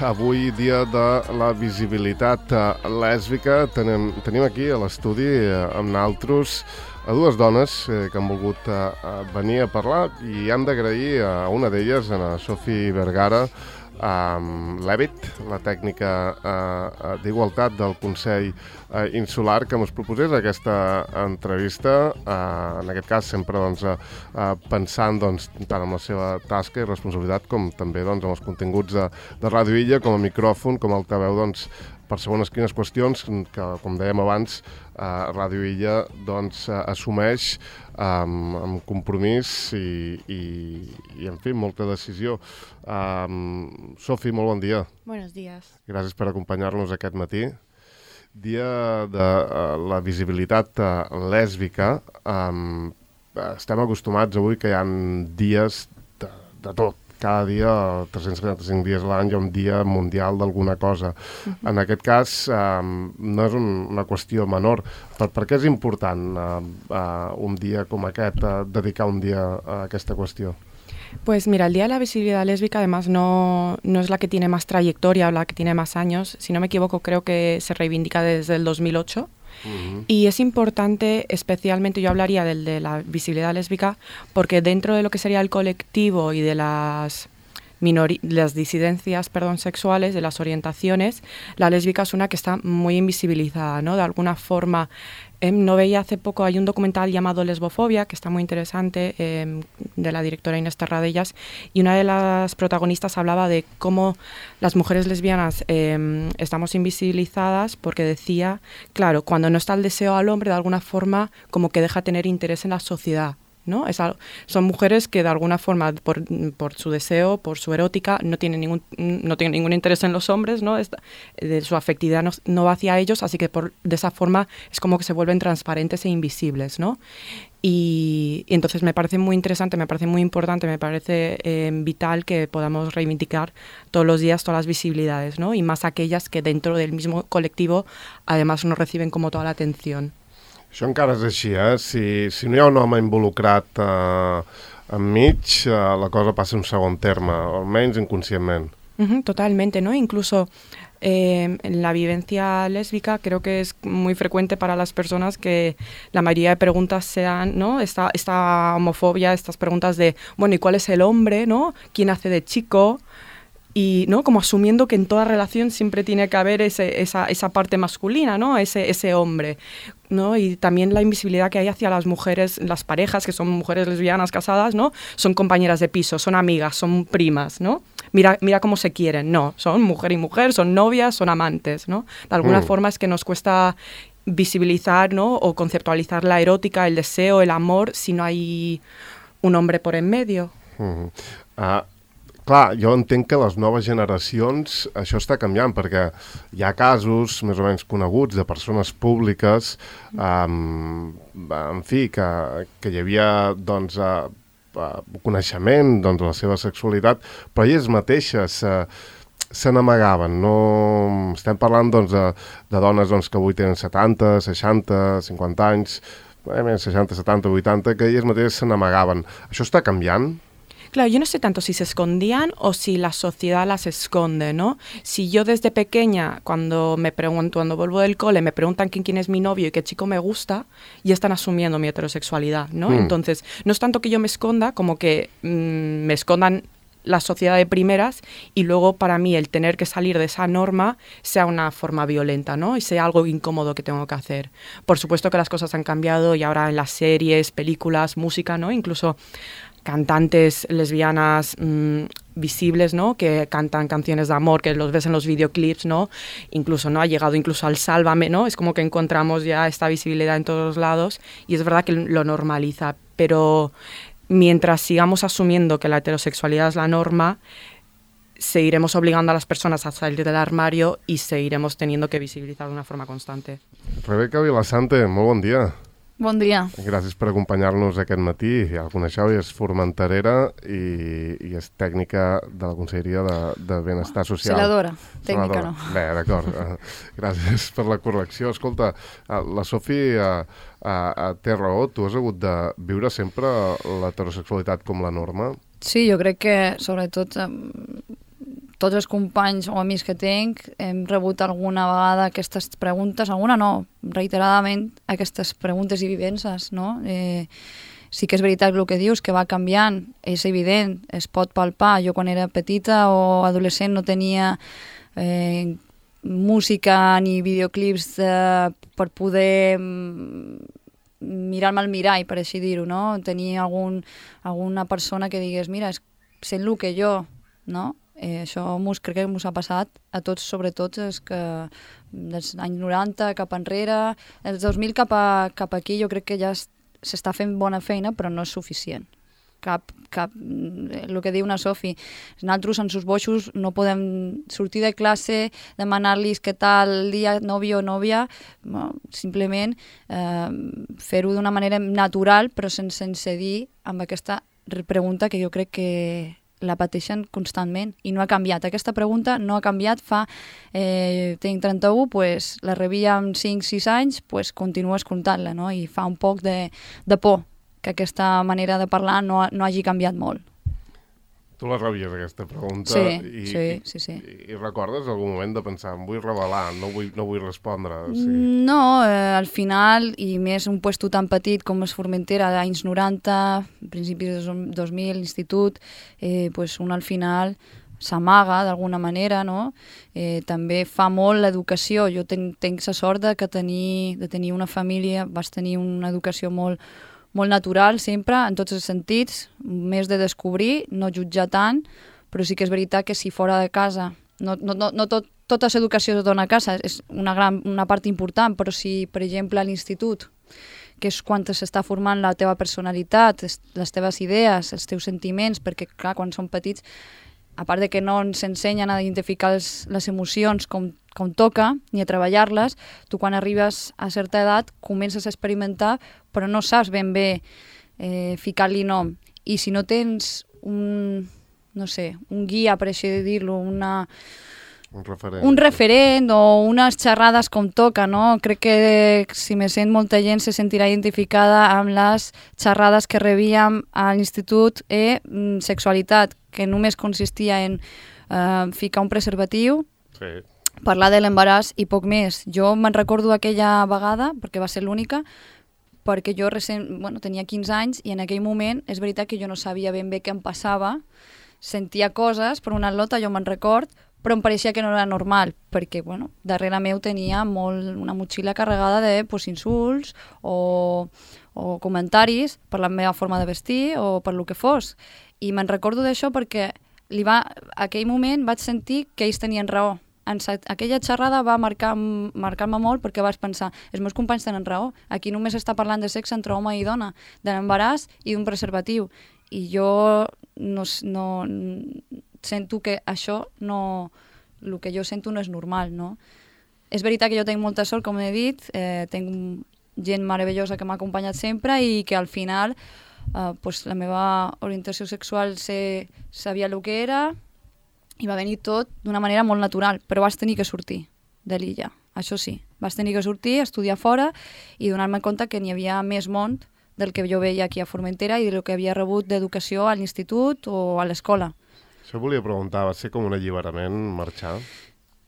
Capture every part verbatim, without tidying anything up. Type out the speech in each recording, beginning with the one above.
Avui, dia de la visibilitat lèsbica, tenim, tenim aquí a l'estudi amb naltros a dues dones eh, que han volgut eh, venir a parlar i hem d'agrair a una d'elles, a Sofi Vergara, Um, l'Evit, la tècnica uh, d'igualtat del Consell uh, Insular, que ens proposés aquesta entrevista, uh, en aquest cas sempre doncs, uh, uh, pensant doncs, tant en la seva tasca i responsabilitat com també doncs, en els continguts de, de Ràdio Illa, com a micròfon, com a altaveu, doncs, per segons quines qüestions que, com dèiem abans, eh, Ràdio Illa doncs, eh, assumeix amb, amb compromís i, i, i, en fi, molta decisió. Um, Sofi, molt bon dia. Buenos días. Gràcies per acompanyar-nos aquest matí. Dia de uh, la visibilitat uh, lèsbica. Um, estem acostumats avui que hi ha dies de, de tot. Cada dia, tres-cents quaranta-cinc dies a l'any, hi ha un dia mundial d'alguna cosa. Uh-huh. En aquest cas, eh, no és un, una qüestió menor. Per, per què és important eh, eh, un dia com aquest, eh, dedicar un dia a aquesta qüestió? Pues mira, el Día de la Visibilidad Lésbica además no, no es la que tiene más trayectoria o la que tiene más años. Si no me equivoco, creo que se reivindica desde el dos mil ocho. Uh-huh. Y es importante, especialmente yo hablaría del de la visibilidad lésbica, porque dentro de lo que sería el colectivo y de las, minori- las disidencias perdón, sexuales, de las orientaciones, la lésbica es una que está muy invisibilizada, ¿no? De alguna forma. Eh, no veía hace poco, hay un documental llamado Lesbofobia, que está muy interesante, eh, de la directora Inés Terradellas, y una de las protagonistas hablaba de cómo las mujeres lesbianas eh, estamos invisibilizadas porque decía, claro, cuando no está el deseo al hombre, de alguna forma como que deja tener interés en la sociedad, ¿no? Es algo, son mujeres que de alguna forma por, por su deseo, por su erótica, no tienen ningún, no tienen ningún interés en los hombres, ¿no? Esta, de su afectividad no, no va hacia ellos, así que por, de esa forma es como que se vuelven transparentes e invisibles, ¿no? Y, y entonces me parece muy interesante, me parece muy importante, me parece eh, vital que podamos reivindicar todos los días todas las visibilidades, ¿no? Y más aquellas que dentro del mismo colectivo además no reciben como toda la atención. Això encara és així, eh? Si, si no hi ha un home involucrat eh, enmig, eh, la cosa passa un segon terme, almenys inconscientment. Uh-huh, totalmente, ¿no? Incluso eh, en la vivencia lésbica creo que es muy frecuente para las personas que la mayoría de preguntas sean, ¿no? Esta, esta homofobia, estas preguntas de, bueno, ¿y cuál es el hombre, no? ¿Quién hace de chico? Y, ¿no? Como asumiendo que en toda relación siempre tiene que haber ese, esa, esa parte masculina, ¿no? Ese, ese hombre, ¿no? Y también la invisibilidad que hay hacia las mujeres, las parejas, que son mujeres lesbianas casadas, ¿no? Son compañeras de piso, son amigas, son primas, ¿no? Mira, mira cómo se quieren, no, son mujer y mujer, son novias, son amantes, ¿no? De alguna mm. forma es que nos cuesta visibilizar, ¿no? O conceptualizar la erótica, el deseo, el amor, si no hay un hombre por en medio. Mm. Ah... Clar, jo entenc que les noves generacions això està canviant, perquè hi ha casos més o menys coneguts de persones públiques, um, en fi, que, que hi havia doncs, uh, uh, coneixement doncs, de la seva sexualitat, però elles mateixes uh, se n'amagaven. No... Estem parlant doncs, de, de dones doncs, que avui tenen setanta, seixanta, cinquanta anys, eh, seixanta, setanta, vuitanta, que elles mateixes se n'amagaven. Això està canviant? Claro, yo no sé tanto si se escondían o si la sociedad las esconde, ¿no? Si yo desde pequeña, cuando me pregunto, cuando vuelvo del cole, me preguntan quién, quién es mi novio y qué chico me gusta, ya están asumiendo mi heterosexualidad, ¿no? Mm. Entonces, no es tanto que yo me esconda como que mmm, me escondan la sociedad de primeras y luego para mí el tener que salir de esa norma sea una forma violenta, ¿no? Y sea algo incómodo que tengo que hacer. Por supuesto que las cosas han cambiado y ahora en las series, películas, música, ¿no? Incluso cantantes lesbianas mmm, visibles, ¿no? Que cantan canciones de amor, que los ves en los videoclips, ¿no? Incluso, ¿no? Ha llegado incluso al Sálvame, ¿no? Es como que encontramos ya esta visibilidad en todos lados y es verdad que lo normaliza, pero mientras sigamos asumiendo que la heterosexualidad es la norma, seguiremos obligando a las personas a salir del armario y seguiremos teniendo que visibilizar de una forma constante. Rebeca Vilasante, molt bon dia. Bon dia. Gràcies per acompanyar-nos aquest matí. Ja el coneixeu, és formenterera i, i és tècnica de la Conselleria de, de Benestar Social. Celadora, tècnica Celadora. no. Bé, d'acord. Gràcies per la correcció. Escolta, la Sofi uh, uh, té raó. Tu has hagut de viure sempre l'heterosexualitat com la norma? Sí, jo crec que sobretot tots els companys o amics que tenc hem rebut alguna vegada aquestes preguntes, alguna no, reiteradament aquestes preguntes i vivències, no? Eh, sí que és veritat el que dius, que va canviant, és evident, es pot palpar. Jo quan era petita o adolescent no tenia eh, música ni videoclips de, per poder mirar-me al mirall, per així dir-ho, no? Tenir algun, alguna persona que digués, mira, sent el que jo, no? Eh, això mos, crec que ens ha passat a tots, sobretot els que dels anys noranta cap enrere, els dos mil cap, a, cap aquí jo crec que ja s'està fent bona feina, però no és suficient. Cap, cap, el que diu una Sofi, nosaltres en sus boixos no podem sortir de classe, demanar-los què tal el dia, nòvio o nòvia, no, simplement eh, fer-ho d'una manera natural, però sense, sense dir amb aquesta pregunta que jo crec que la pateixen constantment i no ha canviat. Aquesta pregunta no ha canviat fa... Eh, tinc trenta-u, pues, la rebia amb cinc sis anys, pues, continuo escoltant-la, no? I fa un poc de, de por que aquesta manera de parlar no, no hagi canviat molt. Tu la rebies, aquesta pregunta, sí, i, sí, sí, sí. I, i recordes algun moment de pensar, em vull revelar, no vull, no vull respondre? Sí. No, eh, al final, i més un puesto tan petit com és Formentera, anys noranta, principis de dos mil, institut, eh, pues un al final s'amaga d'alguna manera, no? Eh, també fa molt l'educació. Jo tenc, tenc la sort de, que tenir, de tenir una família, vaig tenir una educació molt molt natural sempre, en tots els sentits, més de descobrir, no jutjar tant, però sí que és veritat que si fora de casa, no, no, no, no tot, tota l'educació es dona a casa, és una, gran, una part important, però si, per exemple, a l'institut, que és quan s'està formant la teva personalitat, les teves idees, els teus sentiments, perquè, clar, quan som petits, a part de que no ens ensenyen a identificar els, les emocions com, com toca, ni a treballar-les, tu quan arribes a certa edat comences a experimentar, però no saps ben bé eh, ficar-li nom. I si no tens un, no sé, un guia, per així dir-lo, una... Un referent. Un referent o unes xerrades com toca, no? Crec que si me sent molta gent se sentirà identificada amb les xerrades que rebíem a l'institut e sexualitat, que només consistia en eh, ficar un preservatiu, sí. Parlar de l'embaràs i poc més. Jo me'n recordo aquella vegada, perquè va ser l'única, perquè jo recent, bueno, tenia quinze anys i en aquell moment és veritat que jo no sabia ben bé què em passava, sentia coses, per una lota jo me'n record, però em pareixia que no era normal, perquè bueno, darrere meu tenia molt, una motxilla carregada de pues, insults o, o comentaris per la meva forma de vestir o per lo que fos. I me'n recordo d'això perquè li va, aquell moment vaig sentir que ells tenien raó. En sa, aquella xerrada va marcar, marcar-me molt perquè vaig pensar, els meus companys tenen raó, aquí només està parlant de sexe entre home i dona, de l'embaràs i d'un preservatiu. I jo no, no, sento que això no... el que jo sento no és normal, no? És veritat que jo tinc molta sort, com he dit, eh, tinc gent meravellosa que m'ha acompanyat sempre i que al final eh, pues, la meva orientació sexual sé, sabia el que era i va venir tot d'una manera molt natural, però vaig tenir que sortir de l'illa, això sí. Vaig tenir que sortir, estudiar fora i donar-me compte que n'hi havia més món del que jo veia aquí a Formentera i del que havia rebut d'educació a l'institut o a l'escola. Això volia preguntar, va ser com un alliberament marxar?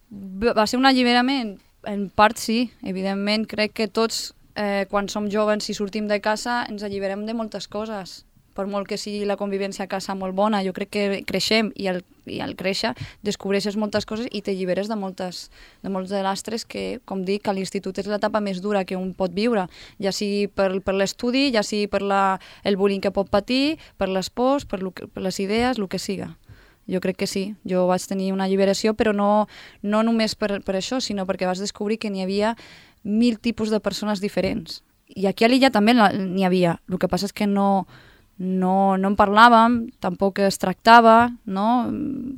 Va ser un alliberament? En part sí, evidentment. Crec que tots, eh, quan som joves i sortim de casa, ens alliberem de moltes coses. Per molt que sigui la convivència a casa molt bona, jo crec que creixem i al, i al créixer descobreixes moltes coses i t'alliberes de, moltes, de molts de lastres que, com dic, a l'institut és l'etapa més dura que un pot viure, ja sigui per, per l'estudi, ja sigui per la, el bullying que pot patir, per les pors, per, lo, per les idees, el que siga. Jo crec que sí, jo vaig tenir una alliberació, però no, no només per, per això, sinó perquè vaig descobrir que n'hi havia mil tipus de persones diferents. I aquí a l'illa també n'hi havia, el que passa és que no, no, no en parlàvem, tampoc es tractava, no?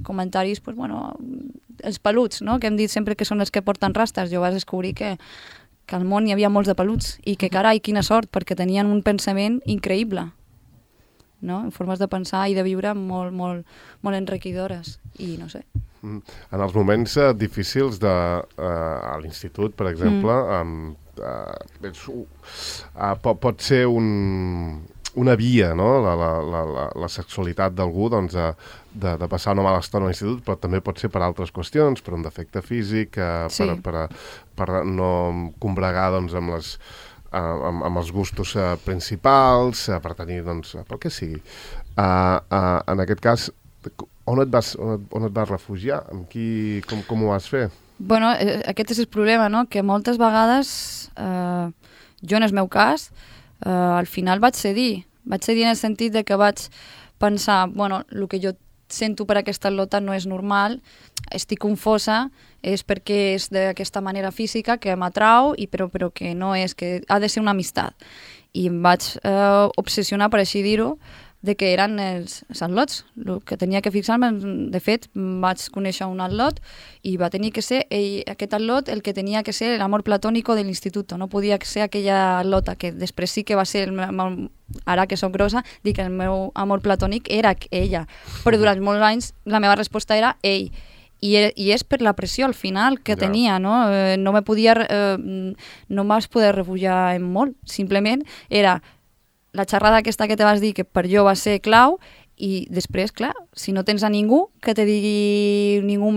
Comentaris, pues, bueno, els peluts, no? Que hem dit sempre que són els que porten rastes. Jo vaig descobrir que, que al món hi havia molts de peluts i que, carai, quina sort, perquè tenien un pensament increïble. No? Formes de pensar i de viure molt, molt, molt enriquidores i no sé. En els moments uh, difícils de, uh, a l'institut, per exemple, mm. um, uh, és, uh, pot, pot ser un, una via, no? la, la, la, la, la sexualitat d'algú doncs, de, de, de passar una mala estona a l'institut, però també pot ser per altres qüestions, per un defecte físic, eh, Sí. per, per, per no combregar doncs, amb, les, eh, amb, amb els gustos eh, principals, eh, per tenir, doncs, pel que sigui. Eh, eh, en aquest cas, on et vas, on et, on et vas refugiar? Amb qui, com, com ho vas fer? Bueno, eh, aquest és el problema, no? Que moltes vegades, eh, jo en el meu cas, eh, al final vaig cedir. Vaig cedir en el sentit de que vaig pensar, bueno, el que jo sento per aquesta atleta no és normal, estic confosa, és perquè és d'aquesta manera física que m'atrau, i però, però que no és, que ha de ser una amistat. I em vaig eh, obsessionar, per així dir-ho, de que eren els, els atlots, el que tenia que fixar-me. De fet, vaig conèixer un atlot i va tenir que ser ell, aquest atlot el que tenia que ser l'amor platònico de l'institut, no podia ser aquella atlota, que després sí que va ser, el meu, ara que soc grossa, dic que el meu amor platònic era ella, però durant molts anys la meva resposta era ell. I, i és per la pressió al final que ja. tenia, no? Eh, no me podia, eh, no em vaig poder refugiar en molt, simplement era la xerrada aquesta que te vas dir que per jo va ser clau, i després, clar, si no tens a ningú que te digui, ningú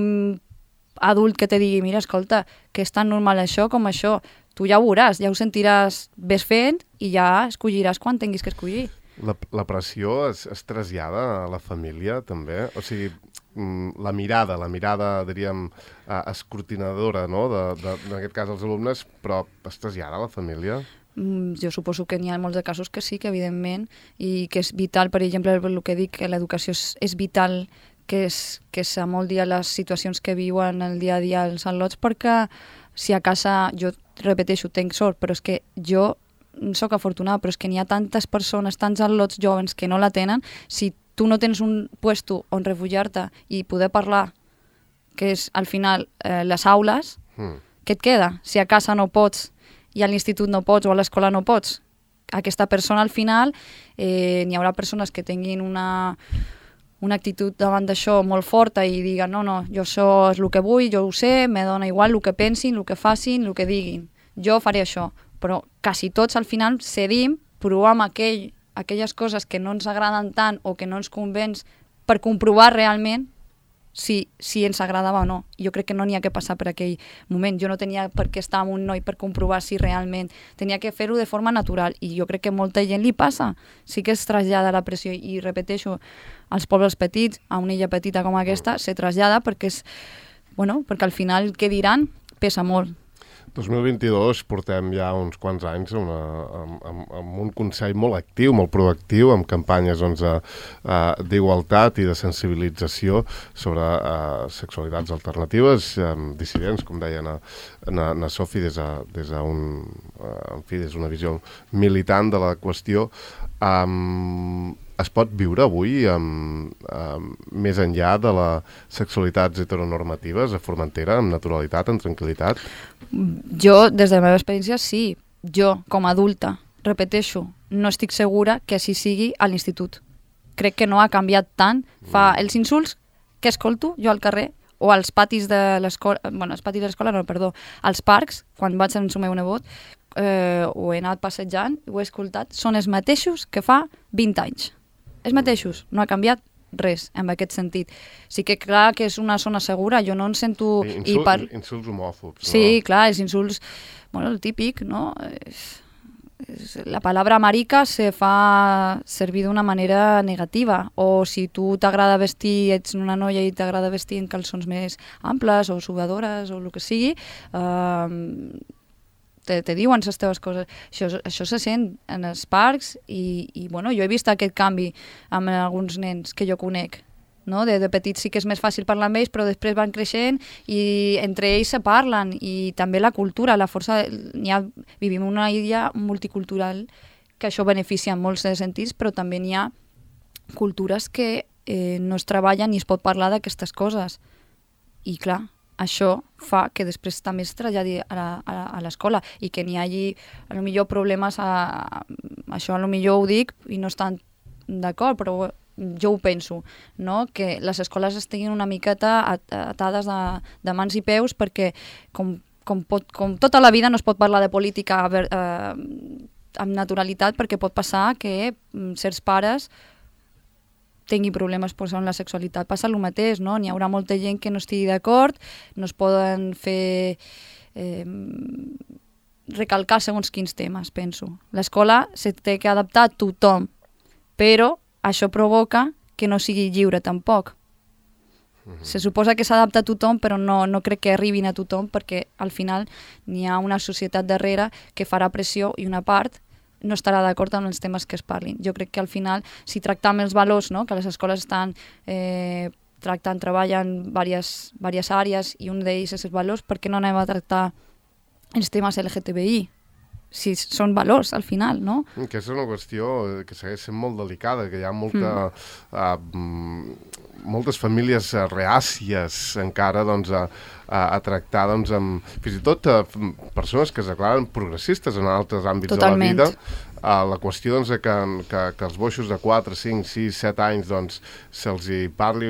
adult que te digui, mira, escolta, que és tan normal això com això, tu ja ho veuràs, ja ho sentiràs, ves fent i ja escolliràs quan tinguis que escollir. La, la pressió es, es trasllada a la família, també? O sigui, la mirada, la mirada, diríem, escrutinadora, no?, de, de, en aquest cas els alumnes, però es trasllada a la família? Jo suposo que n'hi ha molts de casos que sí, que evidentment, i que és vital, per exemple, el que dic, que l'educació és, és vital, que és, que és a molt dia les situacions que viuen el dia a dia els atlots, perquè si a casa, jo repeteixo, tenc sort, però és que jo sóc afortunada, però és que n'hi ha tantes persones, tants atlots jovens que no la tenen. Si tu no tens un puesto on refugiar-te i poder parlar, que és al final eh, les aules, mm. què et queda? Si a casa no pots i a l'institut no pots o a l'escola no pots, aquesta persona al final, eh, n'hi haurà persones que tinguin una, una actitud davant d'això molt forta i diguen no, no, jo això és el que vull, jo ho sé, me dona igual el que pensin, el que facin, el que diguin, jo faré això. Però quasi tots al final cedim, provem aquell, aquelles coses que no ens agraden tant o que no ens convenç per comprovar realment si, si ens agradava o no. Jo crec que no n'hi ha que passar per aquell moment. Jo no tenia per què estar amb un noi per comprovar si realment tenia que fer-ho de forma natural, i jo crec que molta gent li passa. Sí que es trasllada la pressió, i repeteixo, als pobles petits, a una illa petita com aquesta, se trasllada perquè és, bueno, perquè al final què diran pesa molt. dos mil vint-i-dos portem ja uns quants anys una, amb, amb, amb un Consell molt actiu, molt proactiu, amb campanyes doncs, d'igualtat i de sensibilització sobre uh, sexualitats alternatives, um, dissidents, com deia na, na, na Sofi, des d'una des un, uh, en fi, des d'una visió militant de la qüestió. Um, es pot viure avui um, um, més enllà de les sexualitats heteronormatives a Formentera, amb naturalitat, amb tranquil·litat? Jo, des de la meva experiència, sí. Jo, com a adulta, repeteixo, no estic segura que així sigui a l'institut. Crec que no ha canviat tant. Fa mm. els insults que escolto jo al carrer o als patis de l'escola, bueno, als patis de l'escola no, perdó, als parcs, quan vaig amb el meu nebot, eh, ho he anat passejant, ho he escoltat, són els mateixos que fa vint anys. Els mateixos, no ha canviat res en aquest sentit. Sí que clar que és una zona segura, jo no en sento... Insult, i par... Insults homòfobs, no? Sí, clar, els insults, bueno, el típic, no? La paraula marica se fa servir d'una manera negativa, o si tu t'agrada vestir, ets una noia i t'agrada vestir en calçons més amples o sugadores o el que sigui, eh, te, te diuen les teves coses. Això, això se sent en els parcs i, i bueno, jo he vist aquest canvi amb alguns nens que jo conec. No? De, de petits sí que és més fàcil parlar amb ells, però després van creixent i entre ells se parlen, i també la cultura, la força... N'hi ha, vivim en una illa multicultural que això beneficia en molts sentits, però també n'hi ha cultures que eh, no es treballen ni es pot parlar d'aquestes coses. I clar, això fa que després també es traslladi a l'escola i que n'hi hagi a lo millor problemes, a, això a lo millor ho dic i no estan d'acord, però jo ho penso, no? Que les escoles estiguin una miqueta atades de, de mans i peus, perquè com, com, pot, com tota la vida no es pot parlar de política eh, amb naturalitat, perquè pot passar que mm, certs pares tingui problemes pues, amb la sexualitat. Passa el mateix, no? N'hi haurà molta gent que no estigui d'acord, no es poden fer... Eh, recalcar segons quins temes, penso. L'escola se té que adaptar a tothom, però això provoca que no sigui lliure tampoc. Mm-hmm. Se suposa que s'adapta a tothom, però no, no crec que arribin a tothom, perquè al final n'hi ha una societat darrere que farà pressió i una part no estarà d'acord amb els temes que es parlin. Jo crec que al final, si tractam els valors, no? Que les escoles estan eh, tractant, treballen diverses, diverses àrees i un d'ells és els valors, per què no anem a tractar els temes L G T B I? Si són valors, al final, no? Que és una qüestió que segueix sent molt delicada, que hi ha molta, mm. uh, moltes famílies reàcies encara doncs, a, a, a tractar doncs, amb, fins i tot uh, persones que es declaren progressistes en altres àmbits Totalment. de la vida. Uh, la qüestió doncs, que, que, que els boixos de quatre, cinc, sis, set anys doncs, se'ls hi parli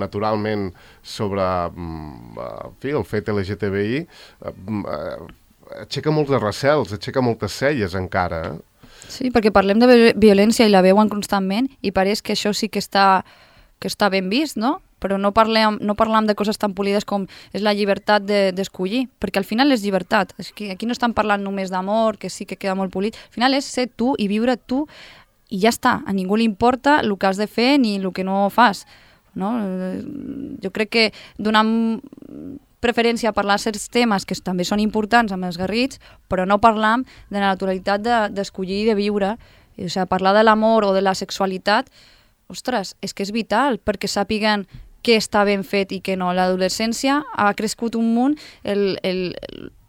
naturalment sobre um, uh, fi, el fet L G T B I, uh, uh, aixeca molts recels, aixeca moltes celles encara. Eh? Sí, perquè parlem de violència i la veuen constantment i pareix que això sí que està, que està ben vist, no? Però no parlem, no parlem de coses tan polides com és la llibertat d'escollir, de, perquè al final és llibertat. És que aquí no estan parlant només d'amor, que sí que queda molt polit. Al final és ser tu i viure tu i ja està. A ningú li importa el que has de fer ni el que no fas. No? Jo crec que donant preferència a parlar certs temes que també són importants amb els garrits, però no parlam de la naturalitat d'escollir de, i de viure. O sigui, parlar de l'amor o de la sexualitat, ostres, és que és vital perquè sàpiguen què està ben fet i què no. L'adolescència ha crescut un munt, el, el,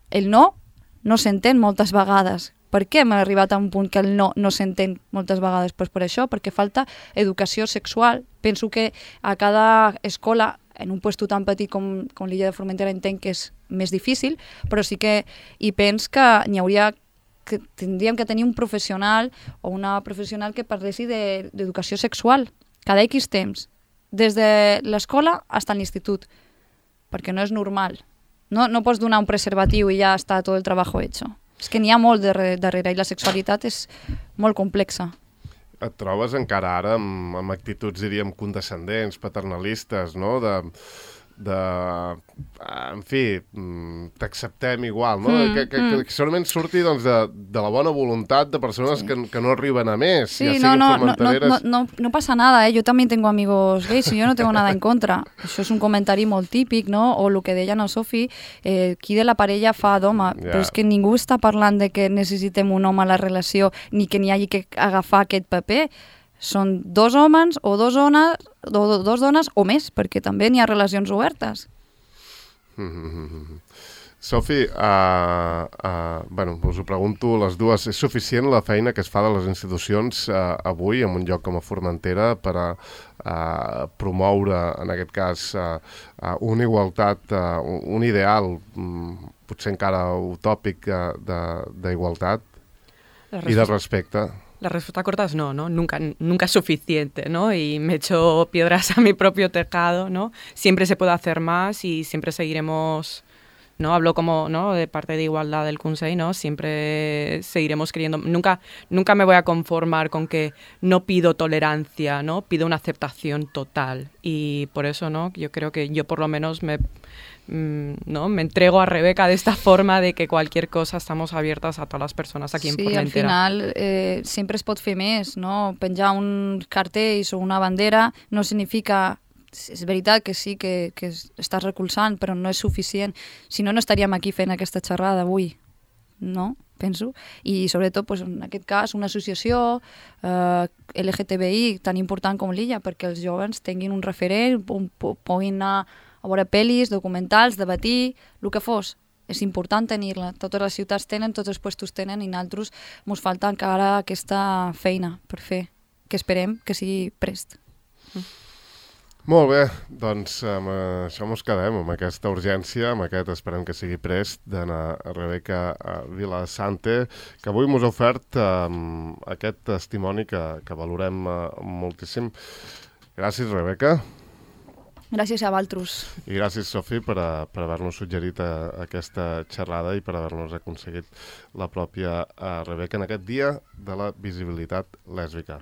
el no no s'entén moltes vegades. Per què hem arribat a un punt que el no no s'entén moltes vegades? Pues per això, perquè falta educació sexual. Penso que a cada escola, en un puesto tan petit com, com l'illa de Formentera, entenc que és més difícil, però sí que hi pens que n'hi hauria que tindríem que tenir un professional o una professional que parlessi d'educació sexual cada X temps, des de l'escola fins a l'institut, perquè no és normal. No, no pots donar un preservatiu i ja està tot el treball hecho. És que n'hi ha molt darrere i la sexualitat és molt complexa. Et trobes encara ara amb, amb actituds, diríem, condescendents, paternalistes, no?, de... de en fi, t'acceptem igual, no? Mm, que, que, mm. que segurament surti doncs, de, de la bona voluntat de persones sí. que, que no arriben a més. Sí, ja no, no, no, no, no, no pasa nada, ¿eh? Yo también tengo amigos gays y yo no tengo nada en contra. Això és un comentari molt típic, no? O el que deia no Sofi, eh, qui de la parella fa d'home, yeah. Però és que ningú està parlant de que necessitem un home a la relació ni que n'hi hagi que agafar aquest paper. Són dos homes o dos dones, o dos dones o més, perquè també n'hi ha relacions obertes. Mm-hmm. Sofi, uh, uh, bueno, us ho pregunto les dues. És suficient la feina que es fa de les institucions uh, avui en un lloc com a Formentera per a uh, promoure, en aquest cas, uh, uh, una igualtat, uh, un ideal, um, potser encara utòpic uh, d'igualtat i de respecte? La respuesta corta es no, ¿no? Nunca, nunca es suficiente, ¿no? Y me echo piedras a mi propio tejado, ¿no? Siempre se puede hacer más y siempre seguiremos, ¿no? Hablo como, ¿no?, de parte de igualdad del Consell, ¿no? Siempre seguiremos queriendo... Nunca, nunca me voy a conformar con que no pido tolerancia, ¿no? Pido una aceptación total. Y por eso, ¿no?, yo creo que yo por lo menos me... ¿no? Me entrego a Rebeca de esta forma de que cualquier cosa estamos abiertas a todas las personas aquí en sí, Formentera. Sí, al final eh, sempre es pot fer més, no? Penjar un cartell o una bandera no significa... És veritat que sí, que, que estàs recolzant, però no és suficient. Si no, no estaríem aquí fent aquesta xerrada avui, no? Penso. I sobretot, pues, en aquest cas, una associació eh, L G T B I tan important com l'Illa, perquè els joves tinguin un referent, puguin anar a veure pel·lis, documentals, debatir, el que fos. És important tenir-la. Totes les ciutats tenen, tots els puestos tenen i nosaltres ens falta encara aquesta feina per fer, que esperem que sigui prest. Mm. Molt bé, doncs amb això ens quedem, amb aquesta urgència, amb aquest esperem que sigui prest, d'anar a Rebeca Vilasante, que avui ens ha ofert um, aquest testimoni que, que valorem uh, moltíssim. Gràcies, Rebeca. Gràcies a Valtrus. I gràcies, Sofi, per, a, per haver-nos suggerit a, a aquesta xerrada i per haver-nos aconseguit la pròpia a Rebeca en aquest dia de la visibilitat lèsbica.